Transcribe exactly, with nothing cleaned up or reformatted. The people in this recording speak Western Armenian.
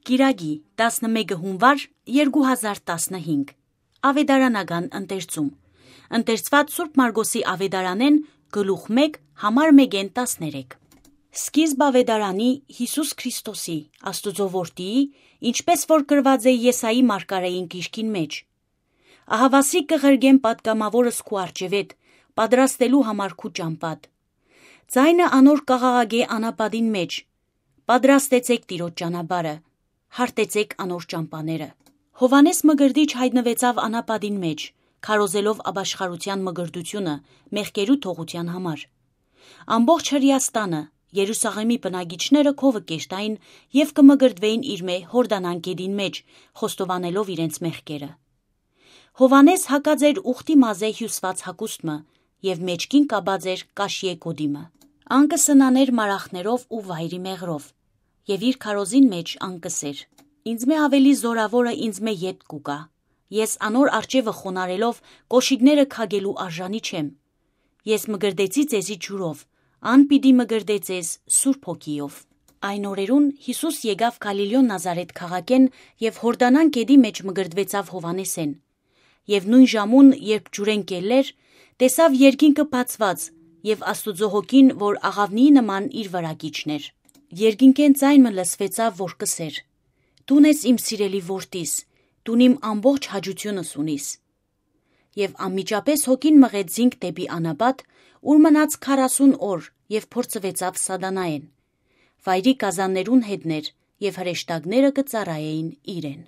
Կիրակի, տասնմէկը հունուար, երկու հազար տասնհինգ։ Աւետարանական ընթերցում։ Ընթերցուած Սուրբ Մարկոսի աւետարանէն, գլուխ մէկ, համար մէկէն տասներեք։ Սկիզբ աւետարանի, Յիսուս Քրիստոսի, Աստուծոյ Որդիի, ինչպէս որ գրուած է Եսայի մարգարէին գիրքին մէջ. «Ահաւասիկ կը ղրկեմ պատգամաւորս քու առջեւէդ, պատրաստելու համար քու ճամբադ։ Ձայնը անոր կ'աղաղակէ անապատին մէջ. "Պատրաստեցէք Տիրոջ ճանապարհը, հարթեցէք անոր ճամբաները"»։ Յովհաննէս Մկրտիչ յայտնուեցաւ անապատին մէջ, քարոզելով ապաշխարութեան մկրտութիւնը մեղքերու թողութեան համար։ Ամբողջ Հրեաստանը, Երուսաղէմի բնակիչները քովը կերտային եւ կը մկրտուէին իրմէ Յորդանան գետին մէջ, խոստովանելով իրենց մեղքերը։ Յովհաննէս հագած էր ուխտի մազէ հիւսուած հագուստ մը եւ մէջքին կապած էր կաշիէ գօտի մը։ Ան կը սնանէր մարախներով ու վայրի մեղրով, եւ իր քարոզին մէջ ան կ'ըսէր. "Ինձմէ աւելի զօրաւորը ինձմէ ետք կու գայ։ Ես անոր առջեւը խոնարհելով կօշիկները քակելու արժանի չեմ։ Ես մկրտեցի ձեզի ջուրով, ան պիտի մկրտէ ձեզ Սուրբ Հոգիով"։ Այն օրերուն Յիսուս եկաւ Գալիլիոյ Նազարէթ քաղաքէն եւ Յորդանան գետի մէջ մկրտուեցաւ Յովհաննէսէն։ Եւ նոյն ժամուն, երբ ջուրէն կ'ելլէր, տեսաւ երկինքը բացուած եւ Աստուծոյ Հոգին, որ աղաւնիի նման իր վրայ կ'իջնէր։ Երկինքէն ձայն մը լսուեցաւ, որ կ'ըսէր. "Դուն ես իմ սիրելի Որդիս, դուն իմ ամբողջ հաճութիւնս ունիս"։ Եւ անմիջապէս Հոգին մղեց զինք դէպի անապատ, ուր մնաց քառասուն օր եւ փորձուեցաւ Սատանայէն։ Վայրի գազաններուն յետն էր եւ հրեշտակները կը ծառայէին իրեն։